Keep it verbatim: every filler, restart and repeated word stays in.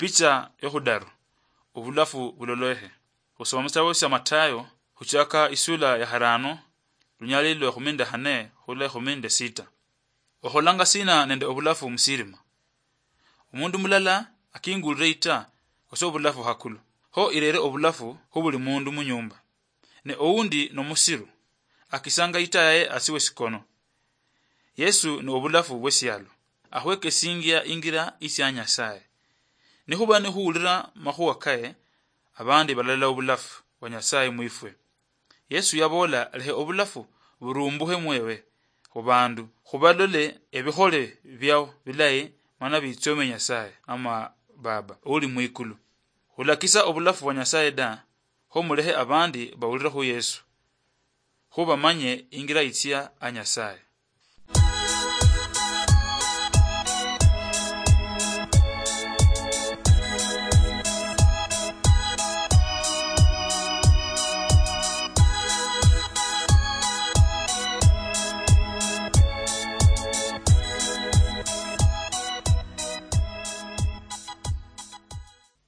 Picha yokhudaru, obulafu buloloehe. Khusoma musitabo sia Matayo, khuchaka isula ya kharano, lunyali lwa ekhumi nende khane khula ekhumi nende sita. Okholanga sina nende obulafu musirima? Omundu mulala akingulire ita, kose obulafu hakulu, kho irere obulafu khu buli mundu munyumba. Ne oundi nomusiru, akisanga ita yaye asi wesikono. Yesu ni obulafu bwesialo, akhwekesingia ingira isia Nyasaye. Nikhuba nikhuwulira makhuwa kaye, abandi balalola obulafu bwa Nyasaye mwifwe. Yesu yaboola, lehe obulafu burumbukhe mwewe khubandu, khubalole ebikhole biao bilayi, mana bitsome Nyasaye ama Baba uli mwikulu. Khulakisa obulafu bwa Nyasaye da, kho mulehe abandi bawulire khu Yesu, kho bamanye ingira itsia a Nyasaye.